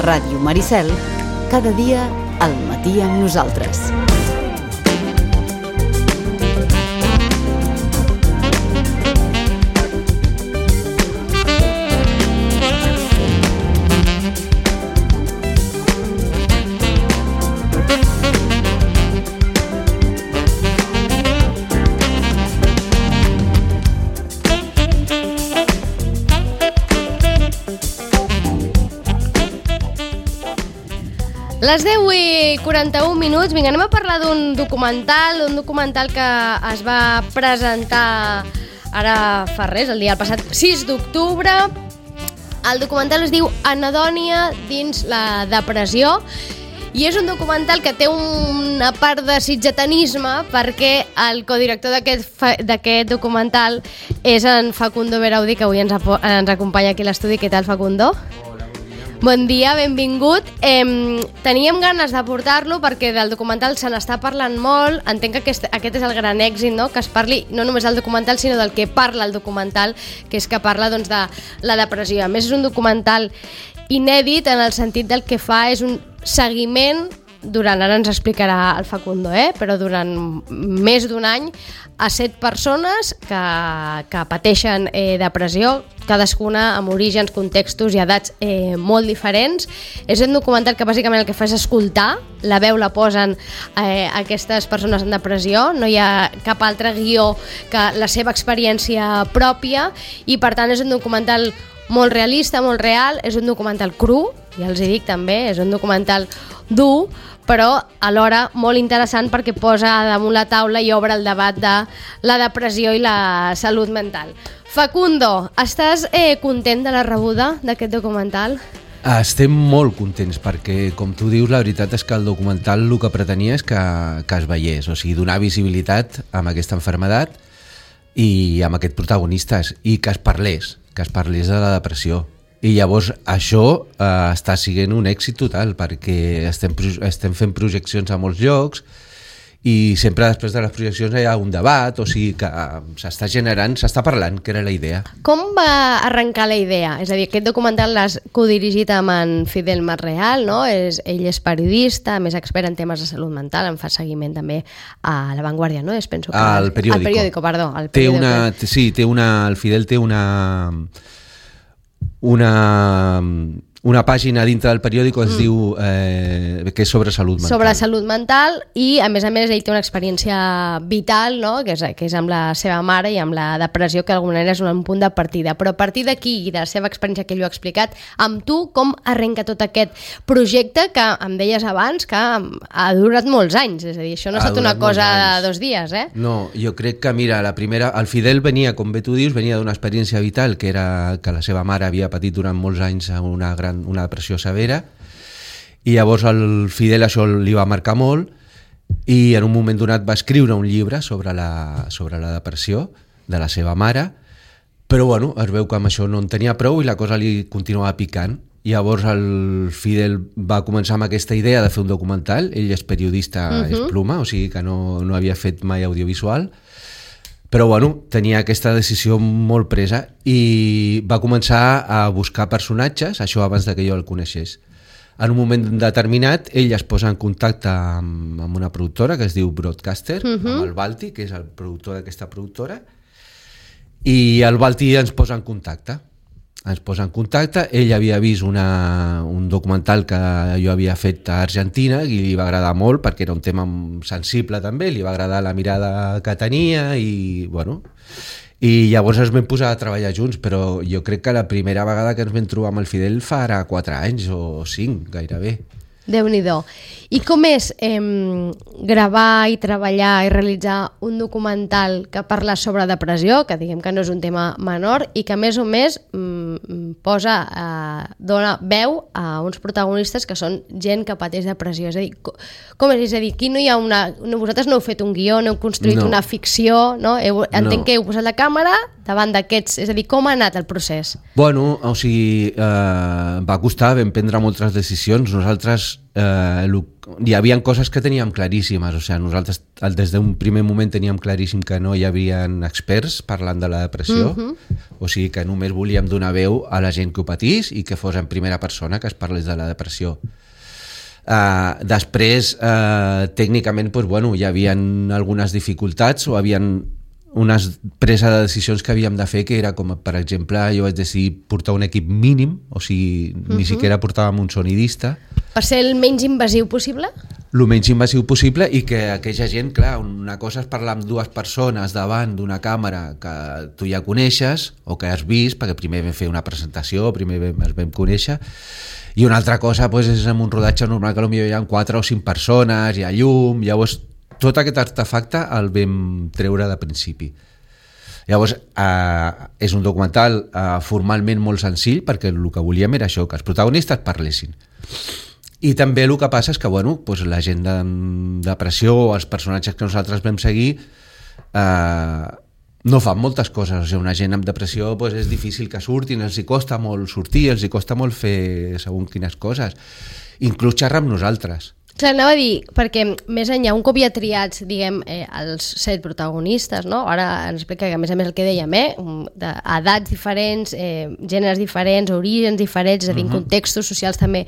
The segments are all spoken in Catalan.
Ràdio Maricel, cada dia al matí amb nosaltres. Les 10:41, vinga, anem a parlar d'un documental que es va presentar ara fa res, el passat 6 d'octubre. El documental es diu Anhedònia dins la depressió i és un documental que té una part de sitgetanisme perquè el codirector d'aquest documental és en Facundo Beraudi, que avui ens acompanya aquí a l'estudi. Què tal, Facundo? Bon dia, benvingut. Teníem ganes de portar-lo perquè del documental se n'està parlant molt. Entenc que aquest és el gran èxit, no? Que es parli no només del documental, sinó del que parla el documental, que és que parla doncs, de la depressió. A més, és un documental inèdit en el sentit del que fa és un seguiment durant, ara ens explicarà el Facundo, però durant més d'un any a 7 persones que pateixen depressió, cadascuna amb orígens, contextos i edats molt diferents. És un documental que bàsicament el que fa és escoltar, la veu la posen aquestes persones en depressió, no hi ha cap altre guió que la seva experiència pròpia i per tant és un documental molt realista, molt real, és un documental cru, ja els hi dic també, és un documental dur, però alhora molt interessant perquè posa damunt la taula i obre el debat de la depressió i la salut mental. Facundo, estàs content de la rebuda d'aquest documental? Estem molt contents perquè, com tu dius, la veritat és que el documental el que pretenia és que es veiés, o sigui, donar visibilitat amb aquesta malaltia i amb aquests protagonistes i que es parlés de la depressió. I llavors això està sent un èxit total perquè estem fent projeccions a molts llocs i sempre després de les projeccions hi ha un debat, o sigui que s'està generant, s'està parlant, que era la idea. Com va arrencar la idea? És a dir, aquest documental l'has codirigit amb en Fidel Masreal, no? Ell és periodista, més expert en temes de salut mental, en fa seguiment també a La Vanguardia, no? Penso que al periòdico. Al periòdico, perdó. El Fidel té una pàgina dintre del periòdico que es diu que és sobre salut mental. Sobre salut mental i a més ell té una experiència vital, no? que és amb la seva mare i amb la depressió, que d'alguna manera és un punt de partida. Però a partir d'aquí i de la seva experiència que ell ho ha explicat, amb tu com arrenca tot aquest projecte que em deies abans que ha durat molts anys? És a dir, això no ha estat una cosa de 2 dies, No, jo crec que, mira, el Fidel venia, com bé tu dius, venia d'una experiència vital que era que la seva mare havia patit durant molts anys una depressió severa i llavors el Fidel això li va marcar molt i en un moment donat va escriure un llibre sobre la depressió de la seva mare, però bueno, es veu que amb això no en tenia prou i la cosa li continuava picant. Llavors el Fidel va començar amb aquesta idea de fer un documental. Ell és periodista, és pluma, o sigui que no havia fet mai audiovisual, però bueno, tenia aquesta decisió molt presa i va començar a buscar personatges, això abans que jo el coneixés. En un moment determinat ell es posa en contacte amb una productora que es diu Broadcaster, amb el Balti, que és el productor d'aquesta productora, i el Balti ens posa en contacte. Ell havia vist un documental que jo havia fet a Argentina i li va agradar molt perquè era un tema sensible també, li va agradar la mirada que tenia i bueno, i llavors ens vam posar a treballar junts, però jo crec que la primera vegada que ens vam trobar amb el Fidel fa ara 4 anys o 5 gairebé. Déu-n'hi-do. I com és gravar i treballar i realitzar un documental que parla sobre depressió, que diguem que no és un tema menor i que a més o més dona veu a uns protagonistes que són gent que pateix depressió. És a dir, com és? És a dir, aquí no hi ha vosaltres no heu fet un guió, no heu construït una ficció, no? Entenc que heu posat la càmera davant d'aquests, és a dir, com ha anat el procés? Bueno, o sigui, va costar, vam prendre moltes decisions. Nosaltres hi havia coses que teníem claríssimes, o sigui, nosaltres des d'un primer moment teníem claríssim que no hi havia experts parlant de la depressió, o sigui que només volíem donar veu a la gent que ho patís i que fos en primera persona que es parlés de la depressió. Després, tècnicament, doncs, bueno, hi havia algunes dificultats o havia unes presa de decisions que havíem de fer, que era com, per exemple, jo vaig decidir portar un equip mínim, o sigui, ni siquiera portàvem un sonidista. Per ser el menys invasiu possible? El menys invasiu possible, i que aquella gent, clar, una cosa és parlar amb dues persones davant d'una càmera que tu ja coneixes o que has vist, perquè primer vam fer una presentació, primer ens vam conèixer, i una altra cosa doncs, és en un rodatge normal que potser hi ha 4 o 5 persones, hi ha llum, llavors tot aquest artefacte el vam treure de principi. Llavors, és un documental formalment molt senzill, perquè el que volíem era això, que els protagonistes parlessin. I també el que passa és que bueno, doncs la gent de depressió o els personatges que nosaltres vam seguir no fan moltes coses. O sigui, una gent amb depressió doncs és difícil que surtin, els hi costa molt sortir, els hi costa molt fer segons quines coses, inclús xerrar amb nosaltres. Clar, anava a dir, perquè més enllà, un cop ja triats, diguem, els 7 protagonistes, no? Ara ens explica que, a més el que dèiem, d'edats diferents, gèneres diferents, orígens diferents, és a dir, contextos socials també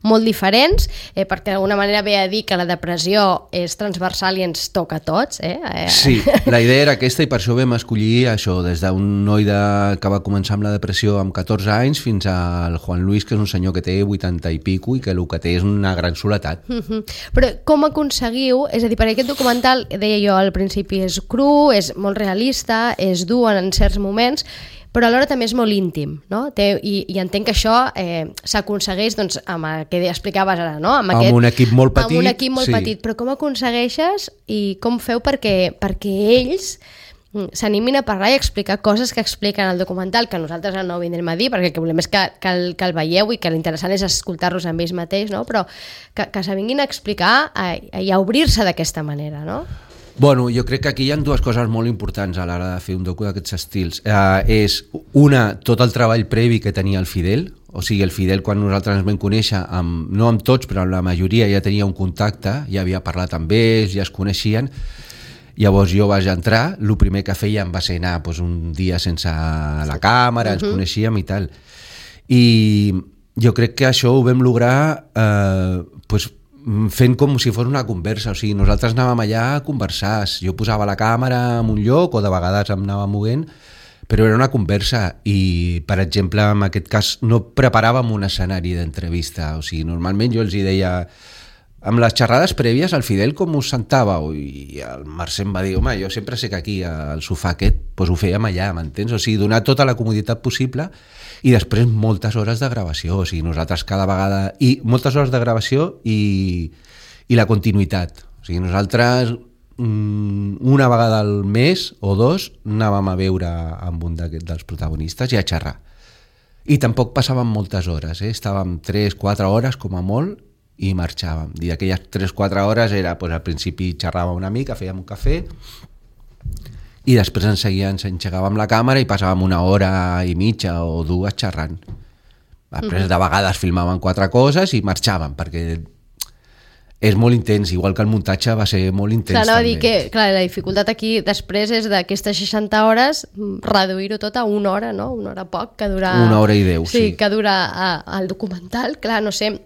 molt diferents, perquè d'alguna manera ve a dir que la depressió és transversal i ens toca a tots. Sí, la idea era aquesta i per això vam escollir això, des d'un noi que va començar amb la depressió amb 14 anys fins al Juan Luis, que és un senyor que té 80 i pico i que el que té és una gran soledat. Però com aconseguiu, és a dir, perquè aquest documental, deia jo al principi, és cru, és molt realista, és dur en certs moments, però alhora també és molt íntim, no? I entenc que això s'aconsegueix doncs, amb el que explicaves ara, no? Amb un equip molt petit. Amb un equip molt petit, però com aconsegueixes i com feu perquè ells s'animin a parlar i explicar coses que expliquen al documental, que nosaltres no ho vindrem a dir perquè el que volem és que el veieu i que l'interessant és escoltar-los amb ells mateix, no? Però que s'avinguin a explicar i a obrir-se d'aquesta manera, no? Bueno, jo crec que aquí hi ha 2 coses molt importants a l'hora de fer un docu d'aquests estils. És una, tot el treball previ que tenia el Fidel, o sigui, el Fidel quan nosaltres ens vam conèixer, no amb tots, però amb la majoria ja tenia un contacte, ja havia parlat amb ells, ja es coneixien. Llavors jo vaig entrar, el primer que fèiem va ser anar un dia sense la càmera, ens coneixíem i tal. I jo crec que això ho vam lograr fent com si fos una conversa, o sigui, nosaltres anàvem allà a conversar, jo posava la càmera en un lloc o de vegades em anava movent, però era una conversa i, per exemple, en aquest cas no preparàvem un escenari d'entrevista, o sigui, normalment jo els hi deia... Amb les xerrades prèvies, el Fidel com us sentàveu? I el Mercè em va dir, home, jo sempre sé que aquí, al sofà aquest, doncs ho fèiem allà, m'entens? O sigui, donar tota la comoditat possible i després moltes hores de gravació, o sigui, nosaltres cada vegada... I moltes hores de gravació i la continuïtat. O sigui, nosaltres una vegada al mes o 2 anàvem a veure amb un dels protagonistes i a xerrar. I tampoc passàvem moltes hores, estàvem 3-4 hores com a molt i marxàvem. I aquelles 3-4 hores era, doncs, al principi xerràvem una mica, fèiem un cafè i després ens engegàvem la càmera i passàvem 1 hora i mitja o 2 xerrant. Després de vegades filmàvem 4 coses i marxàvem, perquè és molt intens, igual que el muntatge va ser molt intens. Clar, també. Dir que la dificultat aquí després és d'aquestes 60 hores reduir-ho tot a 1 hora, no? 1 hora poc, que dura... 1 hora i 10, sí. Sí, que dura el documental. Clar, no sé...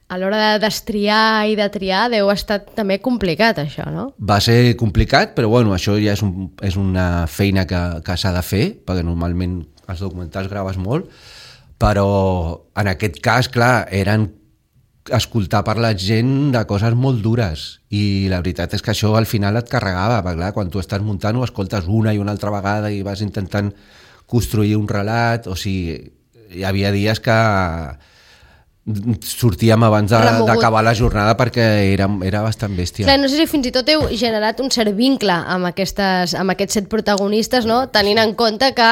A l'hora de destriar i de triar deu estar també complicat, això, no? Va ser complicat, però bueno, això ja és una feina que s'ha de fer, perquè normalment els documentals graves molt, però en aquest cas, clar, eren escoltar per la gent de coses molt dures i la veritat és que això al final et carregava, perquè clar, quan tu estàs muntant ho escoltes una i una altra vegada i vas intentant construir un relat, o sigui, hi havia dies que sortíem abans d'acabar la jornada perquè era bastant bèstia. Clar, no sé si fins i tot heu generat un cert vincle amb aquests 7 protagonistes, no? Tenint en compte que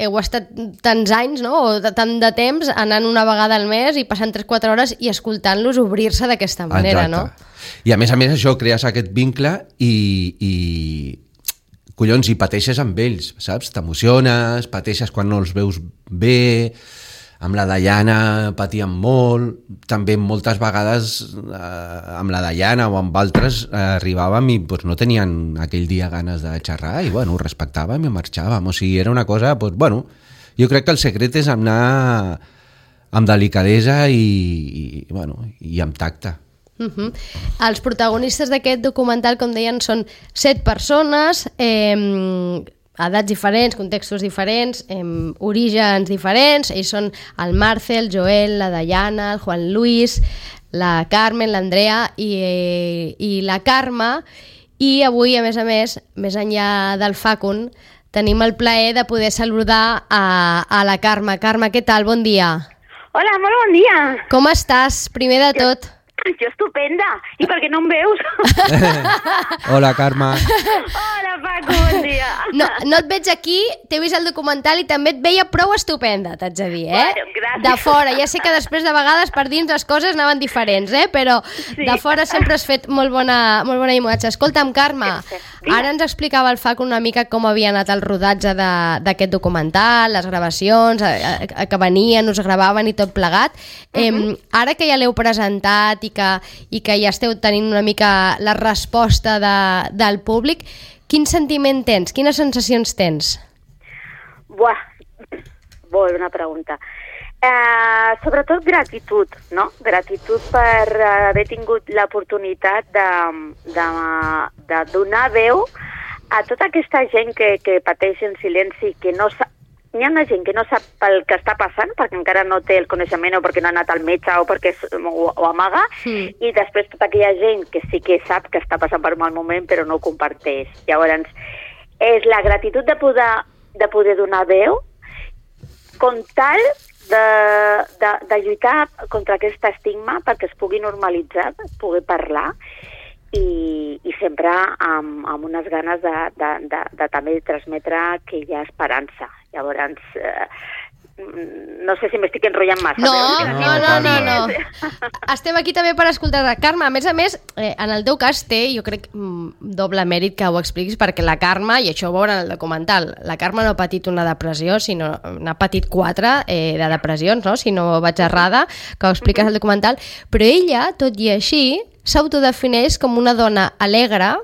heu estat tants anys, no? O tant de temps anant una vegada al mes i passant 3-4 hores i escoltant-los obrir-se d'aquesta manera. Exacte. No? I a més això crees aquest vincle i pateixes amb ells, saps? T'emociones, pateixes quan no els veus bé, amb la Dayana patíem molt, també moltes vegades amb la Dayana o amb altres arribàvem i pues, no tenien aquell dia ganes de xerrar i bueno, ho respectàvem i marxàvem, o sigui, era una cosa, pues, bueno, jo crec que el secret és anar amb delicadesa i amb tacte. Els protagonistes d'aquest documental, com deien, són 7 persones, edats diferents, contextos diferents, orígens diferents. Ells són el Marcel, el Joel, la Dayana, el Juan Luis, la Carmen, l'Andrea i la Carme. I avui, a més, més enllà del Facun, tenim el plaer de poder saludar a la Carme. Carme, què tal? Bon dia. Hola, molt bon dia. Com estàs, primer de tot? Jo estupenda. I per què no em veus? Hola, Carme. Hola, Paco, bon dia. No et veig aquí, t'he vist el documental i també et veia prou estupenda, t'haig de dir, Bueno, gràcies. De fora, ja sé que després de vegades per dins les coses anaven diferents, però Sí. de fora sempre has fet molt bona imatge. Escolta'm, Carme, ara ens explicava el Fac una mica com havia anat el rodatge d'aquest documental, les gravacions, que venien, us gravaven i tot plegat. Ara que ja l'heu presentat i que ja esteu tenint una mica la resposta del públic, quin sentiment tens? Quines sensacions tens? Buah, molt bona pregunta. Sobretot gratitud, no? Gratitud per haver tingut l'oportunitat de donar veu a tota aquesta gent que pateix en silenci, que no sap. Hi ha gent que no sap el que està passant perquè encara no té el coneixement o perquè no ha anat al metge o perquè ho amaga, i després tota aquella gent que sí que sap que està passant per un mal moment però no ho comparteix. Llavors, és la gratitud de poder donar veu com tal de lluitar contra aquest estigma perquè es pugui normalitzar, es pugui parlar i sempre amb unes ganes de també transmetre que hi ha esperança. Llavors, no sé si m'estic enrotllant massa. No. Estem aquí també per escoltar-te. Carme, a més, en el teu cas té, jo crec, doble mèrit que ho expliquis, perquè la Carme, i això ho veurà en el documental, la Carme no ha patit una depressió, sinó n'ha patit 4 de depressions, no? Si no vaig errada, que ho expliques al documental, però ella, tot i així, s'autodefineix com una dona alegre,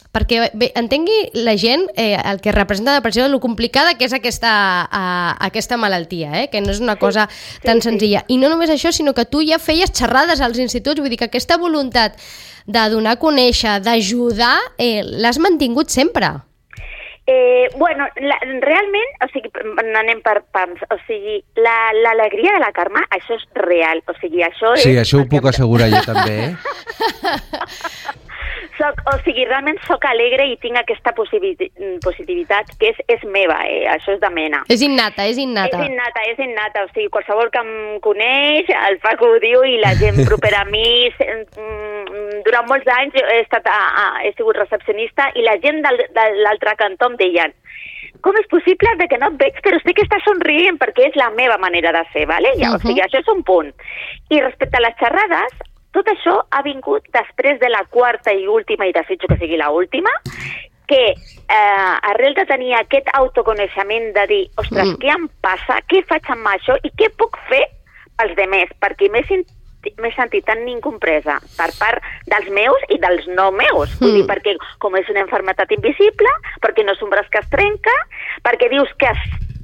perquè entengui la gent el que representa la depressió, lo complicada que és aquesta malaltia, que no és una cosa tan senzilla. I no només això, sinó que tu ja feies xerrades als instituts, vull dir que aquesta voluntat de donar a conèixer, d'ajudar, l'has mantingut sempre. Bueno, realment, o sigui, anem per pams, o sigui, l'alegria de la Carme, això és real, o sigui, això és... Sí, això ho puc assegurar jo també, realment soc alegre i tinc aquesta positivitat que és meva, això és de mena. És innata. És innata, o sigui, qualsevol que em coneix, el Paco ho diu, i la gent propera a mi, durant molts anys he sigut recepcionista i la gent de l'altre cantó em deien: com és possible que no et veig, però sé que estàs somrient perquè és la meva manera de ser, ¿vale? O sigui, això és un punt. I respecte a les xerrades, tot això ha vingut després de la 4ª i última, i desitjo que sigui la última, que arrel de tenir aquest autoconeixement de dir, ostres, què em passa, què faig amb això i què puc fer pels demés, perquè m'he sentit tan incompresa per part dels meus i dels no meus. Vull dir, perquè com és una malaltia invisible, perquè no és un braç que es trenca, perquè dius que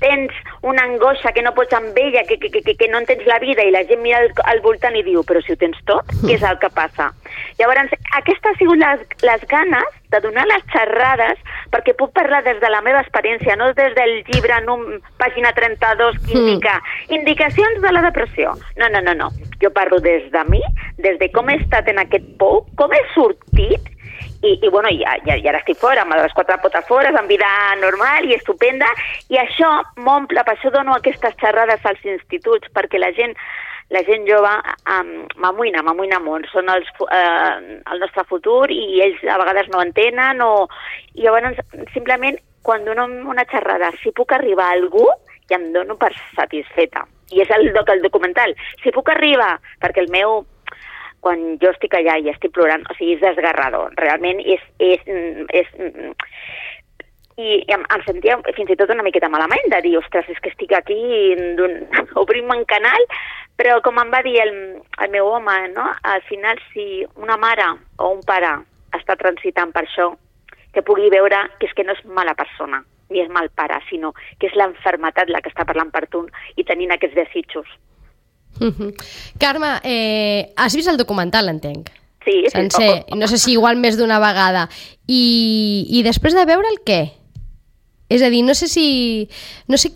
tens una angoixa que no pots amb ella, que no entens la vida, i la gent mira al voltant i diu, però si ho tens tot, què és el que passa? Llavors, aquestes han sigut les ganes de donar les xerrades perquè puc parlar des de la meva experiència, no des del llibre pàgina 32 que indica indicacions de la depressió. No. Jo parlo des de mi, des de com he estat en aquest pou, com he sortit, i bueno, ja ara estic fora, amb les 4 potes fora, amb vida normal i estupenda, i això m'omple, per això dono aquestes xerrades als instituts, perquè la gent jove m'amoïna molt, són el nostre futur i ells a vegades no entenen, i llavors simplement quan dono una xerrada, si puc arribar a algú, ja em dono per satisfeta. I és el documental. Si puc arribar, perquè el meu, quan jo estic allà i estic plorant, o sigui, és desgarrador. Realment em sentia fins i tot una miqueta malament de dir, ostres, és que estic aquí obrint un canal, però com em va dir el meu home, no? Al final, si una mare o un pare està transitant per això, que pugui veure que és que no és mala persona, ni és mal pare, sinó que és l'enfermetat la que està parlant per tu i tenint aquests desitjos. Carme, has vist el documental, entenc? Sí, sencer. No sé si igual més d'una vegada. I després de veure'l, què? És a dir, no sé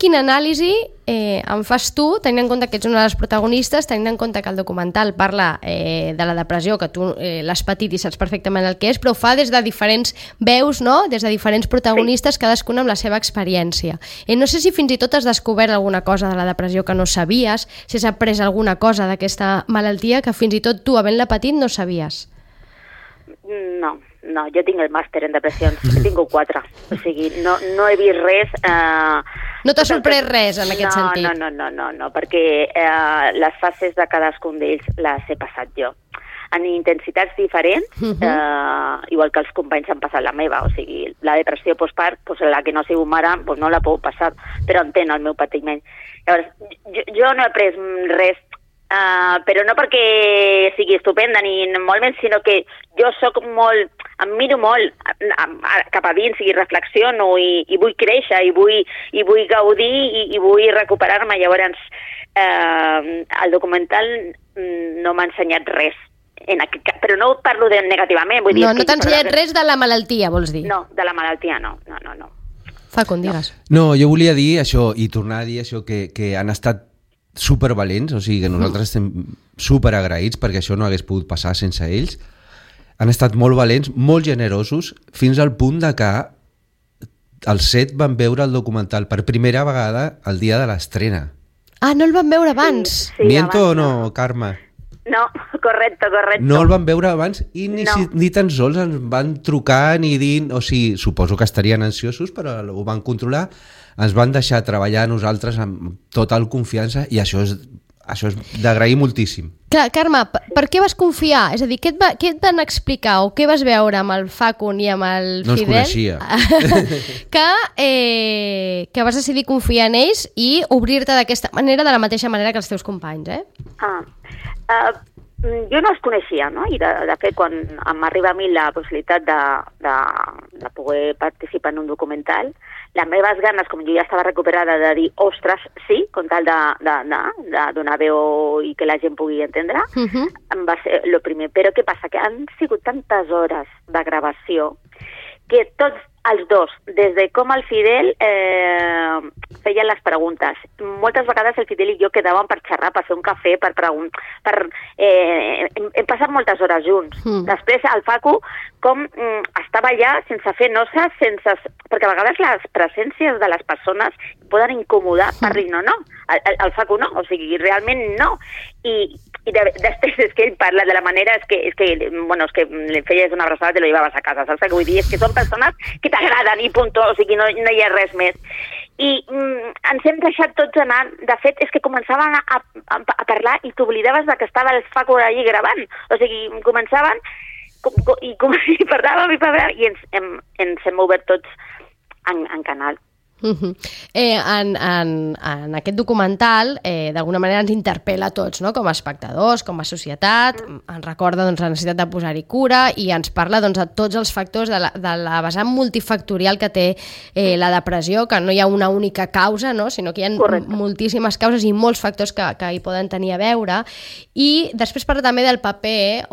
quina anàlisi en fas tu, tenint en compte que ets una de les protagonistes, tenint en compte que el documental parla de la depressió, que tu l'has patit i saps perfectament el que és, però ho fa des de diferents veus, no? Des de diferents protagonistes, cadascuna amb la seva experiència. No sé si fins i tot has descobert alguna cosa de la depressió que no sabies, si has après alguna cosa d'aquesta malaltia que fins i tot tu, havent-la patit, no sabies. No, jo tinc el màster en depressions, he tingut 4, o sigui, no he vist res... No t'ha sorprès res en aquest sentit? No, perquè les fases de cadascun d'ells les he passat jo. En intensitats diferents, igual que els companys han passat la meva, o sigui, la depressió postpart, la que no ha sigut mare, no la puc passar, però entén el meu patiment. Llavors, jo no he après res, però no perquè sigui estupenda ni molt menys, sinó que jo soc molt, em miro molt cap a dins i reflexiono i vull créixer i vull gaudir i vull recuperar-me. Llavors el documental no m'ha ensenyat res, però no parlo negativament. Vull dir, no t'ha ensenyat res de la malaltia, vols dir? No, de la malaltia no. Facund, digues. No, jo volia dir això, i tornar a dir això, que han estat supervalents, o sigui que nosaltres estem superagraïts perquè això no hagués pogut passar sense ells. Han estat molt valents, molt generosos, fins al punt de que els 7 van veure el documental per primera vegada el dia de l'estrena. Ah, no el van veure abans? Sí, ¿Miento abans, o no, Carme? No, correcte. No el van veure abans i ni tan sols ens van trucar ni dir... O sigui, suposo que estarien ansiosos, però ho van controlar. Ens van deixar treballar a nosaltres amb total confiança i això és d'agrair moltíssim. Clar, Carme, per què vas confiar? És a dir, què et van explicar o què vas veure amb el Facund i amb el no Fidel? No els coneixia. Que vas decidir confiar en ells i obrir-te d'aquesta manera, de la mateixa manera que els teus companys, Jo no els coneixia, no? I de fet, quan m'arriba a mi la possibilitat de poder participar en un documental, les meves ganes, com jo ja estava recuperada, de dir, ostres, sí, com tal de donar veu i que la gent pugui entendre, va ser el primer. Però què passa? Que han sigut tantes hores de gravació que tots els dos, des de com el Fidel feien les preguntes. Moltes vegades el Fidel i jo quedàvem per xerrar, per fer un cafè, per preguntar... hem passat moltes hores junts. Després el Facu, com estava allà sense fer noces, perquè a vegades les presències de les persones poden incomodar per dir no. El Facu no, o sigui, realment no. I després és que ell parla de la manera, és que li feies una abraçada i te lo llevaves a casa, saps? Vull dir, és que són persones que t'agraden i punt, o sigui, no hi ha res més. I ens hem deixat tots anar, de fet, és que començaven a parlar i t'oblidaves que estava el Facu allí gravant, o sigui, començaven i parlàvem i ens hem obert tots en canal. En aquest documental d'alguna manera ens interpel·la a tots, no? Com a espectadors, com a societat, ens recorda la necessitat de posar-hi cura i ens parla de tots els factors de la vessant multifactorial que té la depressió, que no hi ha una única causa, no? Sinó que hi ha moltíssimes causes i molts factors que hi poden tenir a veure. I després parla també del paper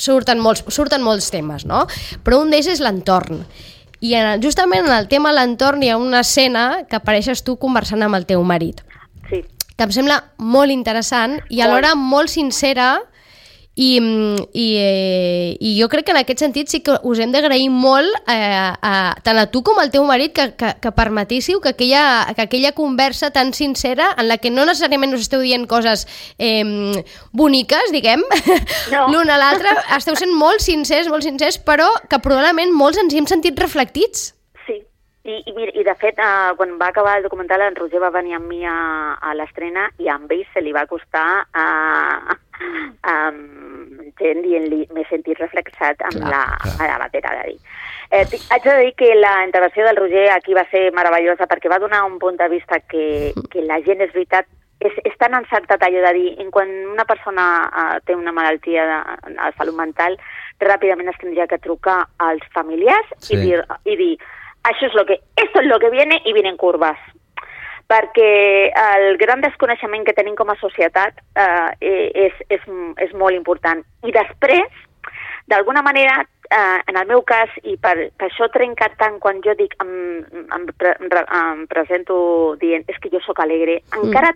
surten molts temes, no? Però un d'ells és l'entorn. I justament en el tema l'entorn hi ha una escena que apareixes tu conversant amb el teu marit. Sí. Que em sembla molt interessant i alhora molt sincera i jo crec que en aquest sentit sí que us hem d'agrair molt tant a tu com al teu marit que permetíssiu que aquella conversa tan sincera en la que no necessàriament us esteu dient coses boniques, diguem, l'un a l'altre, esteu sent molt sincers, però que probablement molts ens hi hem sentit reflectits. Sí, i de fet, quan va acabar el documental, en Roger va venir amb mi a l'estrena i a ell se li va costar gent dient-li m'he sentit reflexat amb Clar. la matèria de dir. Haig de dir que la intervenció del Roger aquí va ser meravellosa perquè va donar un punt de vista que la gent, és veritat, és tan encertat allò de dir, quan una persona té una malaltia de salut mental, ràpidament es tindria que trucar als familiars i dir esto es lo que viene y vienen curvas. Perquè el gran desconeixement que tenim com a societat és molt important. I després, d'alguna manera, en el meu cas, i per això trenca tant quan jo dic, em presento dient és que jo sóc alegre, encara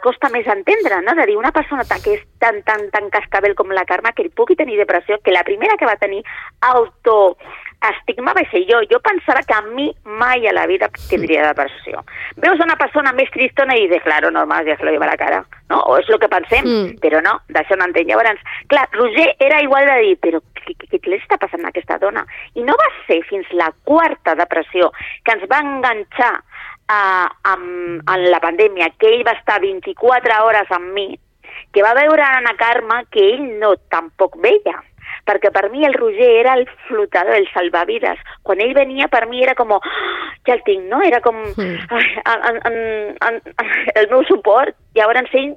costa més entendre, no? De dir, una persona que és tan cascabel com la Carme, que pugui tenir depressió, que la primera que va tenir autoestigma va ser jo. Jo pensava que a mi mai a la vida tindria depressió. Veus una persona més tristona i dius, claro, normal, ja se lo lleva a la cara, no? O és el que pensem, però no, d'això no entenc. Llavors, clar, Roger era igual de dir, però què li està passant a aquesta dona? I no va ser fins la quarta depressió que ens va enganxar en la pandèmia, que ell va estar 24 hores amb mi, que va veure a Ana Carme que ell no tampoc veia. Perquè per mi el Roger era el flotador, el salvavides. Quan ell venia, per mi era com, ja el tinc, no? Era com el meu suport. Llavors ell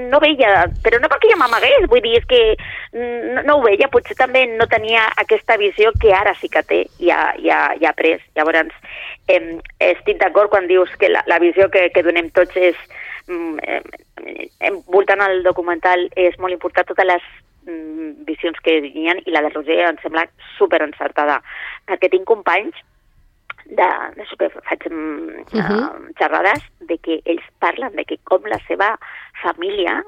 no veia, però no perquè ja m'amagués, vull dir, és que no ho veia, potser també no tenia aquesta visió que ara sí que té i ha pres. Llavors, estic d'acord quan dius que la visió que donem tots és, voltant al documental, és molt important totes les visions que hi ha, i la de Roger em sembla super encertada, perquè tinc companys faig xerrades de que ells parlen de que com la seva família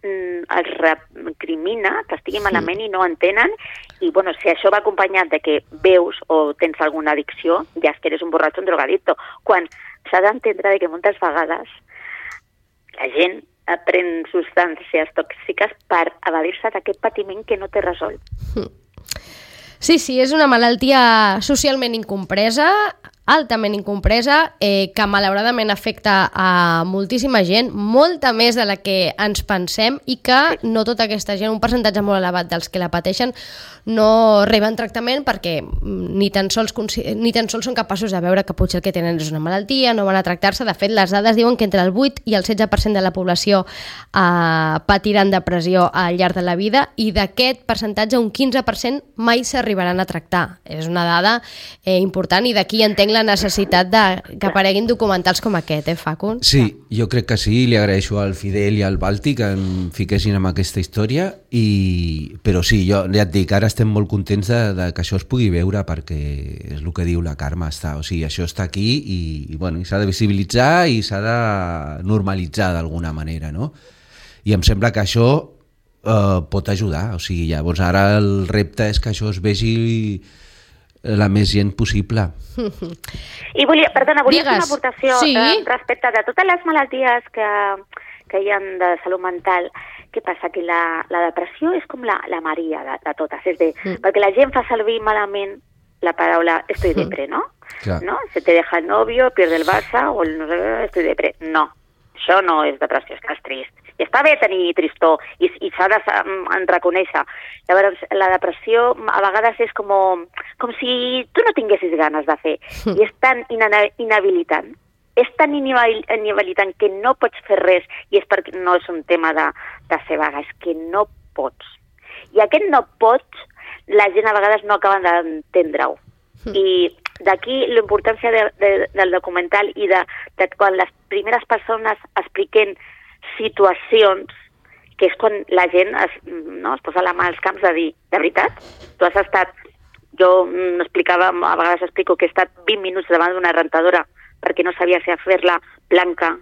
els recrimina, que estigui malament i no entenen, i bueno, si això va acompanyat de que veus o tens alguna addicció, ja és que eres un borratxo, un drogadicto, quan s'ha d'entendre de que moltes vegades la gent pren substàncies tòxiques per evadir-se d'aquest patiment que no té resolt. Sí, és una malaltia socialment incompresa, altament incompresa, que malauradament afecta a moltíssima gent, molta més de la que ens pensem, i que no tota aquesta gent, un percentatge molt elevat dels que la pateixen, no reben tractament perquè ni tan sols són capaços de veure que potser el que tenen és una malaltia, no van a tractar-se. De fet, les dades diuen que entre el 8 i el 16% de la població patiran depressió al llarg de la vida, i d'aquest percentatge un 15% mai s'arribaran a tractar. És una dada important, i d'aquí entenc la necessitat que apareguin documentals com aquest, Facu? Sí, jo crec que sí, li agraeixo al Fidel i al Balti que em fiquessin en aquesta història, però sí, jo ja et dic, ara estem molt contents de que això es pugui veure, perquè és el que diu la Carme, o sigui, això està aquí i bueno, s'ha de visibilitzar i s'ha de normalitzar d'alguna manera, no? I em sembla que això pot ajudar, o sigui, llavors ara el repte és que això es vegi la més gent possible. I volia fer una aportació respecte de totes les malalties que hi ha de salut mental. Què passa? Que la depressió és com la Maria de totes, és dir, perquè la gent fa servir malament la paraula estoy depre, ¿no? Claro. ¿No? Se te deja el novio, pierde el Barça, o no sé, estoy depre. No, això no és depressió, estàs trist. I està bé tenir tristor, i s'ha de reconèixer. Llavors, la depressió a vegades és com si tu no tinguessis ganes de fer, i és tan inhabilitant. És tan inhabilitant que no pots fer res, i és perquè no és un tema de ser vaga, és que no pots. I aquest no pots, la gent a vegades no acaba d'entendre-ho. I d'aquí la importància del documental i de quan les primeres persones expliquen situacions, que és quan la gent es posa la mà als camps de dir, de veritat, tu has estat, jo explicava, a vegades explico que he estat 20 minuts davant d'una rentadora perquè no sabia si fer-la blanca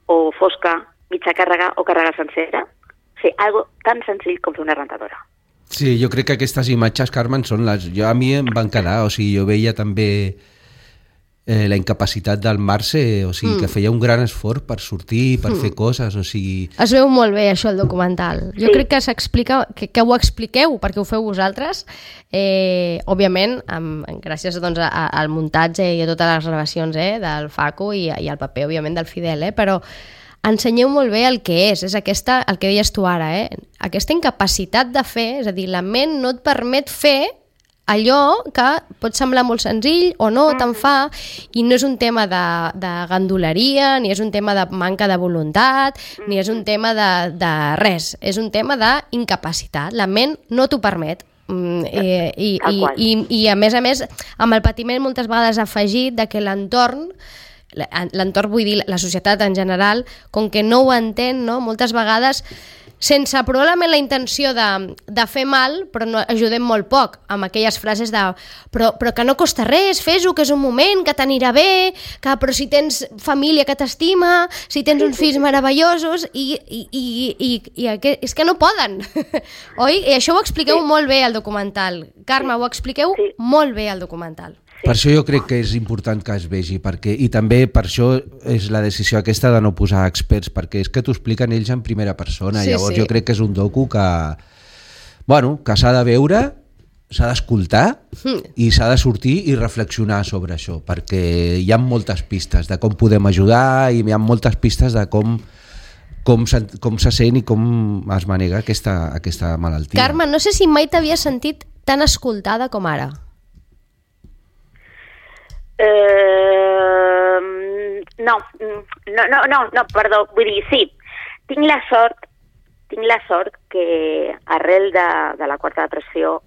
o fosca, mitja càrrega o càrrega sencera. O sigui, algo tan senzill com fer una rentadora. Sí, jo crec que aquestes imatges, Carmen, són a mi em van quedar, o sigui, jo veia també la incapacitat del Marce, o sigui, que feia un gran esforç per sortir, per fer coses, o sigui... Es veu molt bé això, el documental. Jo crec que s'explica, que ho expliqueu, perquè ho feu vosaltres, òbviament, gràcies al muntatge i a totes les gravacions del Facu i al paper, òbviament, del Fidel, però ensenyeu molt bé el que és aquesta, el que deies tu ara, aquesta incapacitat de fer, és a dir, la ment no et permet fer allò que pot semblar molt senzill o no te'n fa, i no és un tema de ganduleria, ni és un tema de manca de voluntat, ni és un tema de res, és un tema d'incapacitat. La ment no t'ho permet. I a més, amb el patiment moltes vegades afegit de que l'entorn, vull dir, la societat en general, com que no ho entén, no? Moltes vegades sense probablement la intenció de fer mal, però no ajudem molt poc amb aquelles frases de però que no costa res, fes-ho, que és un moment, que t'anirà bé, que però si tens família que t'estima, si tens uns fills meravellosos, i és que no poden, oi? I això ho expliqueu molt bé al documental. Carme, ho expliqueu molt bé al documental. Per això jo crec que és important que es vegi, i també per això és la decisió aquesta de no posar experts, perquè és que t'ho expliquen ells en primera persona, llavors jo crec que és un docu que s'ha de veure, s'ha d'escoltar i s'ha de sortir i reflexionar sobre això, perquè hi ha moltes pistes de com podem ajudar i hi ha moltes pistes de com se sent i com es manega aquesta malaltia. Carme, no sé si mai t'havia sentit tan escoltada com ara. No, perdó, vull dir, sí, tinc la sort que arrel de la quarta depressió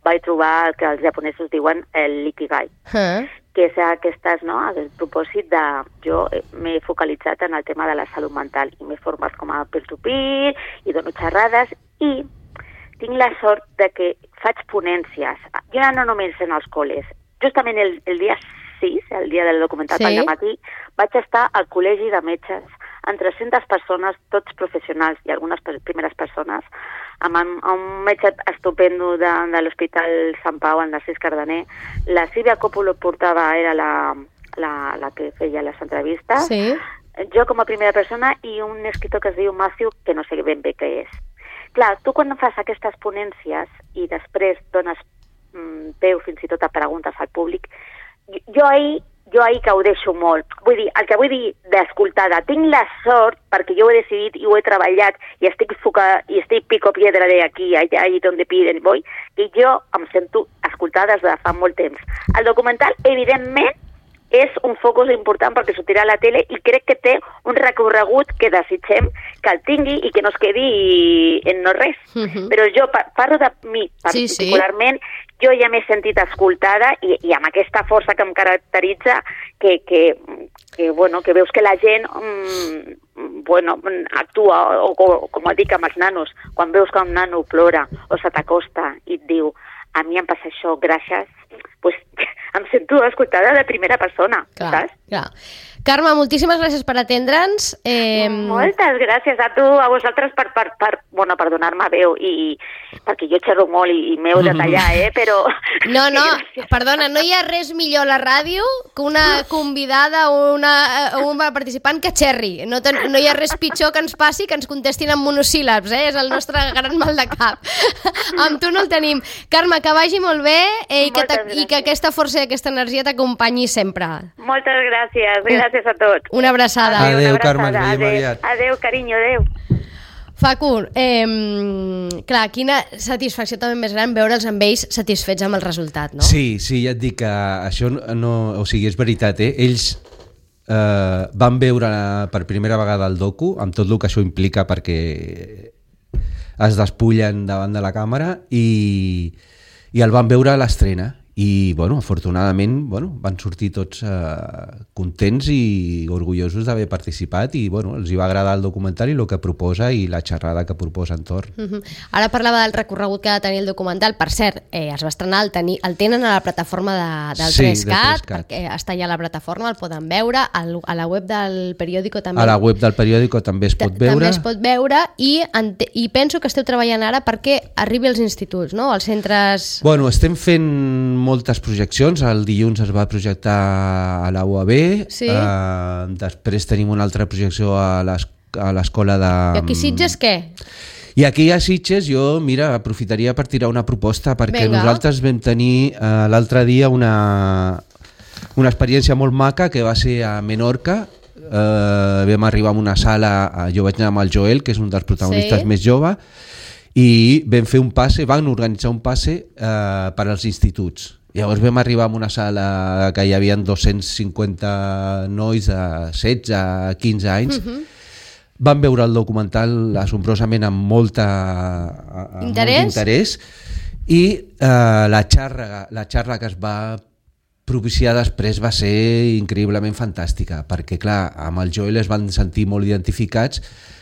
vaig trobar el que els japonesos diuen l'ikigai, que és aquestes, no, el propòsit de... Jo m'he focalitzat en el tema de la salut mental i m'he format com a peer-to-peer i dono xerrades i tinc la sort de que faig ponències. Jo no només en els col·les. Justament el dia 6, el dia del documental pel matí, vaig estar al col·legi de metges amb 300 persones, tots professionals i algunes primeres persones, amb un metge estupendo de l'Hospital Sant Pau, el Narcís Cardener. La Sílvia Coppola portava, era la que feia les entrevistes. Sí. Jo com a primera persona i un escriptor que es diu Matthew, que no sé ben bé què és. Clar, tu quan fas aquestes ponències i després dones peu fins i tot a preguntes al públic, jo ahir que ho deixo molt. Vull dir, el que vull dir d'escoltada, tinc la sort, perquè jo ho he decidit i ho he treballat i estic pico piedra de aquí, allà i donde piden voy, i jo em sento escoltada des de fa molt temps. El documental, evidentment, és un focus important perquè sortirà a la tele i crec que té un recorregut que desitgem que el tingui i que no es quedi en no res. Però jo parlo de mi particularment, jo ja m'he sentit escoltada i amb aquesta força que em caracteritza que veus que la gent actua, o com dic amb els nanos, quan veus que un nano plora o se t'acosta i et diu a mi em passa això, gràcies, pues em sento escoltada de primera persona, saps? Clar. Carme, moltíssimes gràcies per atendre'ns. Moltes gràcies a tu, a vosaltres per donar-me veu i perquè jo xerro molt i m'heu de tallar, però... No, perdona, no hi ha res millor a la ràdio que una convidada o un participant que xerri. No hi ha res pitjor que ens passi que ens contestin en monosíl·labs, és el nostre gran mal de cap. Amb tu no el tenim. Carme, que vagi molt bé i que aquesta força i aquesta energia t'acompanyi sempre. Moltes gràcies, gràcies a tots. Una abraçada. Adéu, Carme, ens veiem aviat. Adéu, carinyo, adéu. Facu, clar, quina satisfacció també més gran veure'ls amb ells satisfets amb el resultat, no? Sí, ja et dic que això no... O sigui, és veritat, ells van veure per primera vegada el docu, amb tot el que això implica perquè es despullen davant de la càmera i el van veure a l'estrena. I, afortunadament, van sortir tots contents i orgullosos d'haver participat i, els hi va agradar el documental i el que proposa i la xerrada que proposa entorn. Ara parlava del recorregut que ha de tenir el documental. Per cert, es va estrenar, el tenen a la plataforma del 3CAT, perquè està allà a la plataforma, el poden veure, a la web del periòdico també. A la web del periòdico també es pot veure. També es pot veure i penso que esteu treballant ara perquè arribi als instituts, no? Als centres... Estem fent moltes projeccions. El dilluns es va projectar a la UAB, després tenim una altra projecció a l'escola de... I aquí Sitges què? I aquí a Sitges jo, aprofitaria per tirar una proposta perquè nosaltres vam tenir l'altre dia una experiència molt maca que va ser a Menorca, vam arribar a una sala, jo vaig anar amb el Joel, que és un dels protagonistes Sí. més jove, i vam fer un passe, van organitzar un passe per als instituts. Llavors vam arribar a una sala que hi havia 250 nois de 16 a 15 anys. Van veure el documental assombrosament amb molt interès i la xarra que es va propiciar després va ser increïblement fantàstica, perquè clar, amb el Joel es van sentir molt identificats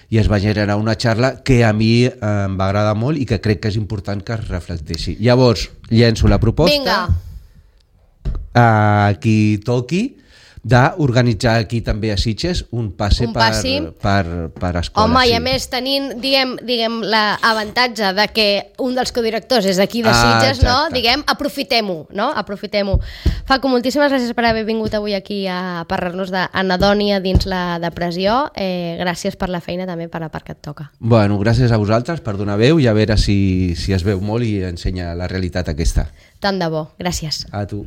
i es va generar una xarra que a mi em va agradar molt i que crec que és important que es reflecteixi. Llavors, llenço la proposta. Vinga. A qui toqui d'organitzar aquí també a Sitges un passe per escoles. Home, i a més tenint, diguem l'avantatge de que un dels codirectors és d'aquí de Sitges, no? Diguem, aprofitem-ho, no? Aprofitem-ho. Facu, moltíssimes gràcies per haver vingut avui aquí a parlar-nos d'anedònia dins la depressió. Gràcies per la feina també per la part que et toca. Bueno, gràcies a vosaltres per donar veu i a veure si es veu molt i ensenya la realitat aquesta. Tant de bo. Gràcies. A tu.